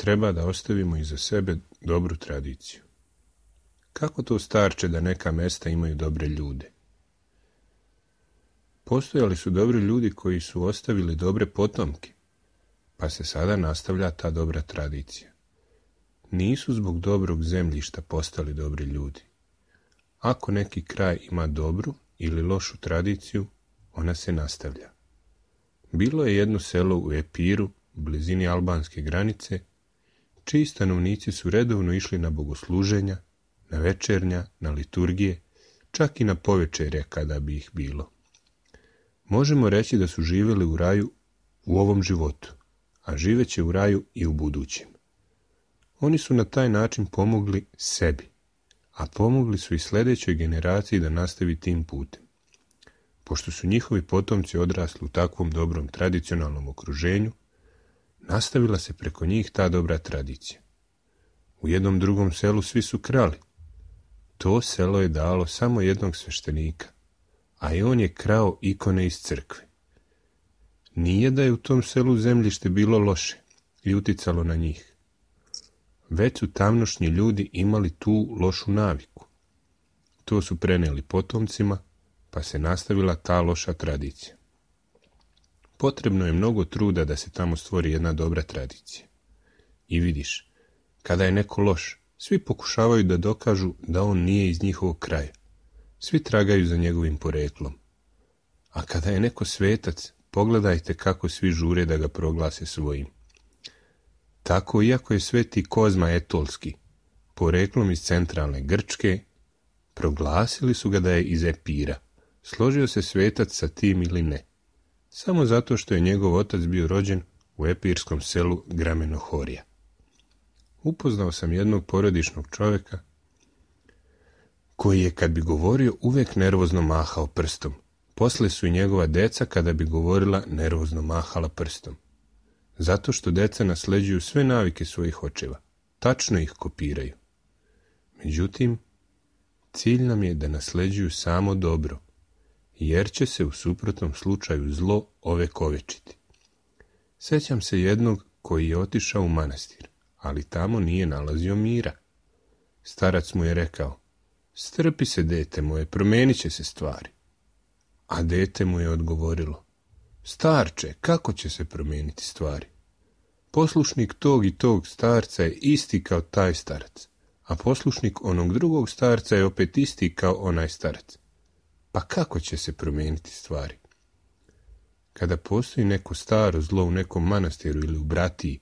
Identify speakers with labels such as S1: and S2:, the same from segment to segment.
S1: treba da ostavimo iza sebe dobru tradiciju. Kako to starče da neka mesta imaju dobre ljude? Postojali su dobri ljudi koji su ostavili dobre potomke, pa se sada nastavlja ta dobra tradicija. Nisu zbog dobrog zemljišta postali dobri ljudi. Ako neki kraj ima dobru ili lošu tradiciju, ona se nastavlja. Bilo je jedno selo u Epiru, u blizini albanske granice, čiji stanovnici su redovno išli na bogosluženja, na večernja, na liturgije, čak i na povečerje kada bi ih bilo. Možemo reći da su živjeli u raju u ovom životu, a živeće u raju i u budućem. Oni su na taj način pomogli sebi, a pomogli su i sljedećoj generaciji da nastavi tim putem. Pošto su njihovi potomci odrasli u takvom dobrom tradicionalnom okruženju, nastavila se preko njih ta dobra tradicija. U jednom drugom selu svi su krali. To selo je dalo samo jednog sveštenika, a i on je krao ikone iz crkve. Nije da je u tom selu zemljište bilo loše i uticalo na njih. Već su tamnošnji ljudi imali tu lošu naviku. To su prenijeli potomcima, pa se nastavila ta loša tradicija. Potrebno je mnogo truda da se tamo stvori jedna dobra tradicija. I vidiš, kada je neko loš, svi pokušavaju da dokažu da on nije iz njihovog kraja. Svi tragaju za njegovim poreklom. A kada je neko svetac, pogledajte kako svi žure da ga proglase svojim. Tako, iako je sveti Kozma Etolski, poreklom iz centralne Grčke, proglasili su ga da je iz Epira. Složio se svetac sa tim ili ne, samo zato što je njegov otac bio rođen u epirskom selu Gramenohorija. Upoznao sam jednog porodičnog čovjeka koji je, kad bi govorio, uvijek nervozno mahao prstom. Poslije su i njegova deca, kada bi govorila, nervozno mahala prstom. Zato što deca nasleđuju sve navike svojih očeva, tačno ih kopiraju. Međutim, cilj nam je da nasleđuju samo dobro, jer će se u suprotnom slučaju zlo ovekovečiti. Sjećam se jednog koji je otišao u manastir, ali tamo nije nalazio mira. Starac mu je rekao: strpi se, dete moje, promijenit će se stvari. A dete mu je odgovorilo: starče, kako će se promijeniti stvari? Poslušnik tog i tog starca je isti kao taj starac, a poslušnik onog drugog starca je opet isti kao onaj starac. Pa kako će se promijeniti stvari? Kada postoji neko staro zlo u nekom manastiru ili u bratiji,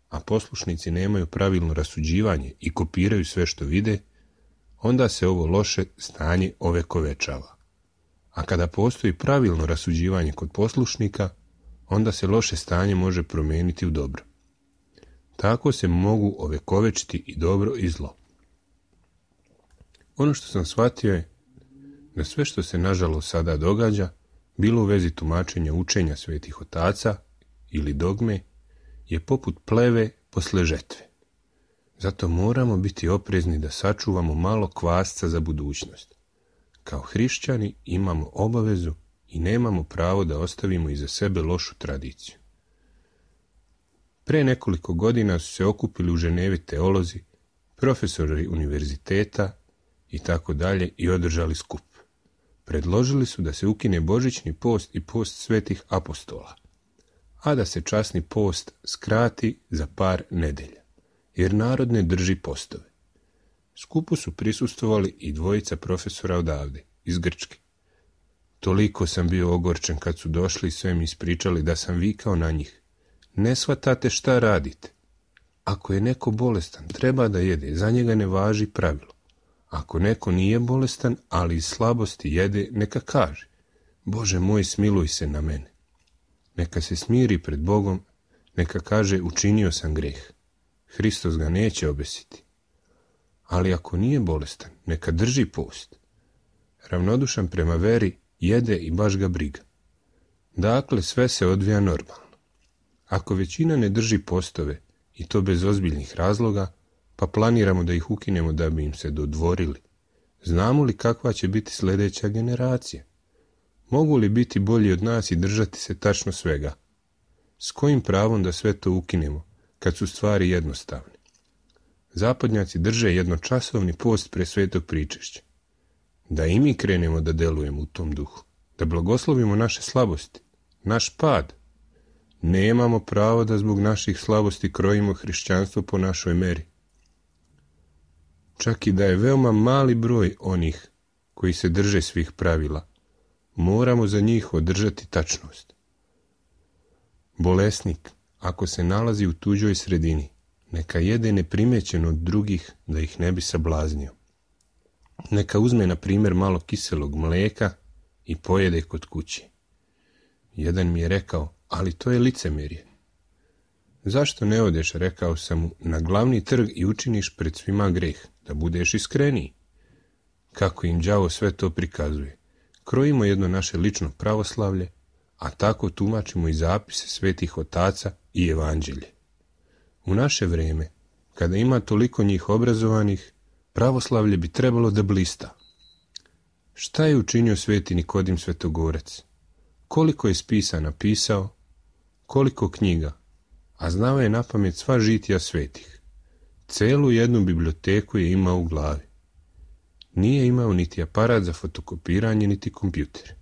S1: a poslušnici nemaju pravilno rasuđivanje i kopiraju sve što vide, onda se ovo loše stanje ovekovečava. A kada postoji pravilno rasuđivanje kod poslušnika, onda se loše stanje može promijeniti u dobro. Tako se mogu ovekovečiti i dobro i zlo. Ono što sam shvatio je da sve što se nažalost sada događa, bilo u vezi tumačenja učenja svetih otaca ili dogme, je poput pleve posle žetve. Zato moramo biti oprezni da sačuvamo malo kvasca za budućnost. Kao hrišćani imamo obavezu i nemamo pravo da ostavimo iza sebe lošu tradiciju. Pre nekoliko godina su se okupili u Ženevi teolozi, profesori univerziteta i tako dalje i održali skup. Predložili su da se ukine božićni post i post svetih apostola, a da se časni post skrati za par nedelja, jer narod ne drži postove. Skupu su prisustvovali i dvojica profesora odavde, iz Grčke. Toliko sam bio ogorčen kad su došli i sve mi ispričali da sam vikao na njih: ne shvatate šta radite. Ako je neko bolestan, treba da jede, za njega ne važi pravilo. Ako neko nije bolestan, ali iz slabosti jede, neka kaže: Bože moj, smiluj se na mene. Neka se smiri pred Bogom, neka kaže: učinio sam greh. Hristos ga neće obesiti. Ali ako nije bolestan, neka drži post. Ravnodušan prema veri, jede i baš ga briga. Dakle, sve se odvija normalno. Ako većina ne drži postove, i to bez ozbiljnih razloga, pa planiramo da ih ukinemo da bi im se dodvorili, znamo li kakva će biti sljedeća generacija? Mogu li biti bolji od nas i držati se tačno svega? S kojim pravom da sve to ukinemo, kad su stvari jednostavne. Zapadnjaci drže jednočasovni post pre svetog pričešća. Da i mi krenemo da delujemo u tom duhu, da blagoslovimo naše slabosti, naš pad. Nemamo pravo da zbog naših slabosti krojimo hrišćanstvo po našoj meri. Čak i da je veoma mali broj onih koji se drže svih pravila, moramo za njih održati tačnost. Bolesnik, ako se nalazi u tuđoj sredini, neka jede neprimećeno od drugih da ih ne bi sablaznio. Neka uzme, na primjer, malo kiselog mlijeka i pojede kod kuće. Jedan mi je rekao, ali to je licemerje. Zašto ne odeš, rekao sam mu, na glavni trg i učiniš pred svima greh, da budeš iskreniji? Kako im đavo sve to prikazuje. Krojimo jedno naše lično pravoslavlje, a tako tumačimo i zapise svetih otaca i evanđelje. U naše vrijeme, kada ima toliko njih obrazovanih, pravoslavlje bi trebalo da blista. Šta je učinio sveti Nikodim Svetogorac? Koliko je spisa napisao, koliko knjiga, a znao je napamet sva žitija svetih. Celu jednu biblioteku je imao u glavi. Nije imao niti aparat za fotokopiranje, niti kompjuter.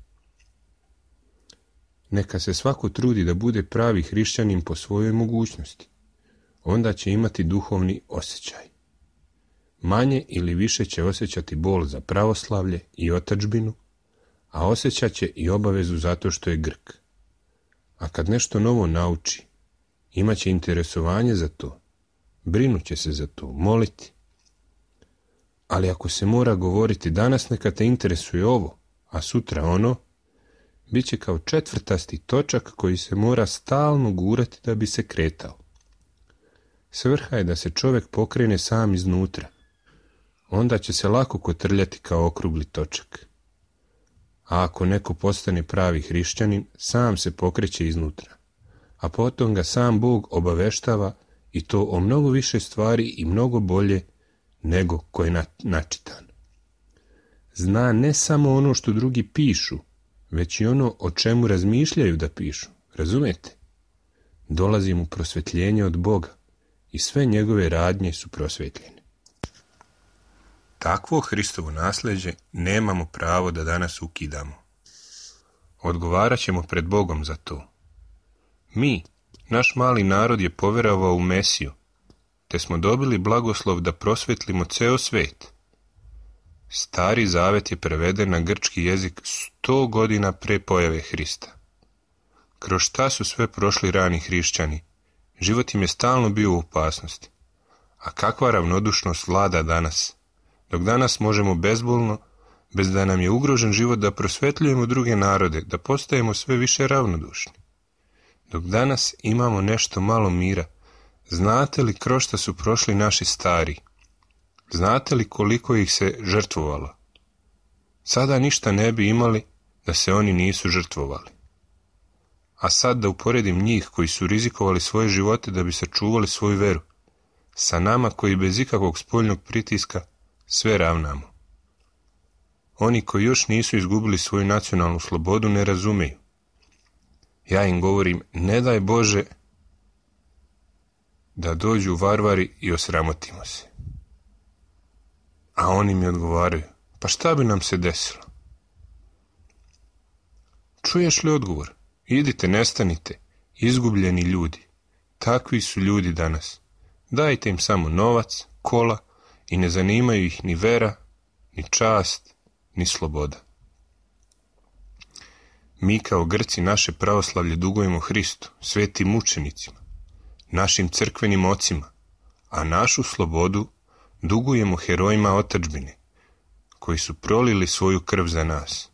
S1: Neka se svako trudi da bude pravi hrišćanin po svojoj mogućnosti. Onda će imati duhovni osjećaj. Manje ili više će osjećati bol za pravoslavlje i otadžbinu, a osjećat će i obavezu zato što je Grk. A kad nešto novo nauči, imaće interesovanje za to, brinuće se za to, moliti. Ali ako se mora govoriti danas neka te interesuje ovo, a sutra ono, bit će kao četvrtasti točak koji se mora stalno gurati da bi se kretao. Svrha je da se čovjek pokrene sam iznutra. Onda će se lako kotrljati kao okrugli točak. A ako neko postane pravi hrišćanin, sam se pokreće iznutra. A potom ga sam Bog obaveštava i to o mnogo više stvari i mnogo bolje nego ko je načitan. Zna ne samo ono što drugi pišu, već i ono o čemu razmišljaju da pišu. Razumete? Dolazi mu prosvetljenje od Boga i sve njegove radnje su prosvetljene. Takvo Hristovo nasljeđe nemamo pravo da danas ukidamo. Odgovarat ćemo pred Bogom za to. Mi, naš mali narod, je poverovao u Mesiju, te smo dobili blagoslov da prosvetlimo ceo svet. Stari zavet je preveden na grčki jezik 100 godina pre pojave Hrista. Kroz šta su sve prošli rani hrišćani, život im je stalno bio u opasnosti. A kakva ravnodušnost vlada danas, dok danas možemo bezbolno, bez da nam je ugrožen život, da prosvetljujemo druge narode, da postajemo sve više ravnodušni. Dok danas imamo nešto malo mira, znate li kroz šta su prošli naši stari? Znate li koliko ih se žrtvovalo? Sada ništa ne bi imali da se oni nisu žrtvovali. A sad da uporedim njih koji su rizikovali svoje živote da bi sačuvali svoju veru, sa nama koji bez ikakvog spoljnog pritiska sve ravnamo. Oni koji još nisu izgubili svoju nacionalnu slobodu ne razumeju. Ja im govorim, ne daj Bože da dođu varvari i osramotimo se. A oni mi odgovaraju, pa šta bi nam se desilo? Čuješ li odgovor? Idite, nestanite, izgubljeni ljudi. Takvi su ljudi danas. Dajte im samo novac, kola i ne zanimaju ih ni vera, ni čast, ni sloboda. Mi kao Grci naše pravoslavlje dugujemo Hristu, svetim mučenicima, našim crkvenim ocima, a našu slobodu dugujemo herojima otadžbine, koji su prolili svoju krv za nas.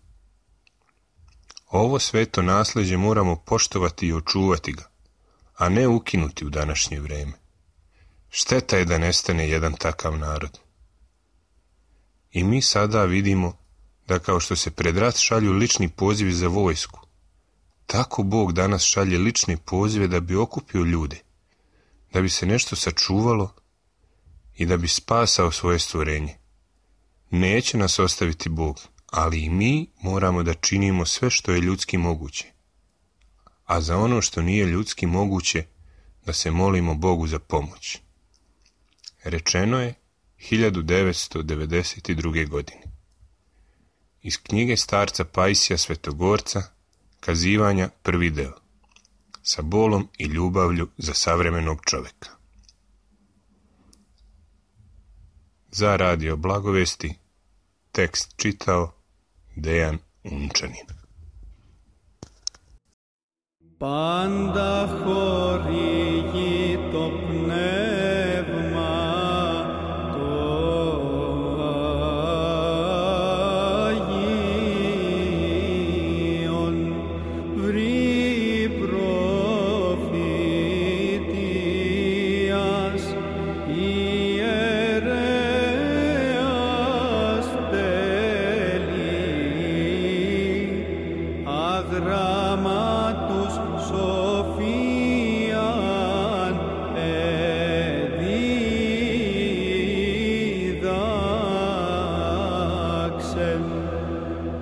S1: Ovo sveto nasljeđe moramo poštovati i očuvati ga, a ne ukinuti u današnje vrijeme. Šteta je da nestane jedan takav narod. I mi sada vidimo da kao što se pred rat šalju lični pozivi za vojsku, tako Bog danas šalje lične pozive da bi okupio ljude, da bi se nešto sačuvalo i da bi spasao svoje stvorenje. Neće nas ostaviti Bog, ali i mi moramo da činimo sve što je ljudski moguće. A za ono što nije ljudski moguće, da se molimo Bogu za pomoć. Rečeno je 1992. godine. Iz knjige starca Pajsija Svetogorca, Kazivanja, 1. deo. Sa bolom i ljubavlju za savremenog čoveka. Za Radio Blagovesti tekst čitao Dejan Unčanin.
S2: Πάντα χορηγεί το πνεύμα το Αγίον, βρει προφητείας ιερέας τέλει, αγράμματος Σοφίαν εδίδαξεν,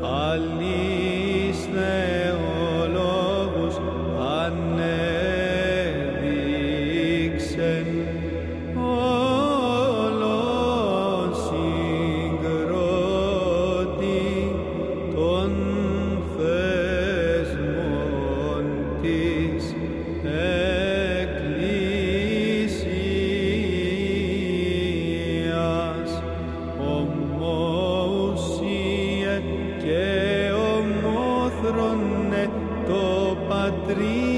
S2: αλής θεολόγους ανέδειξεν, όλον συγκρότη των θεσμών της Εκκλησίας, ομοουσίε και ομόθρονε το Πατρί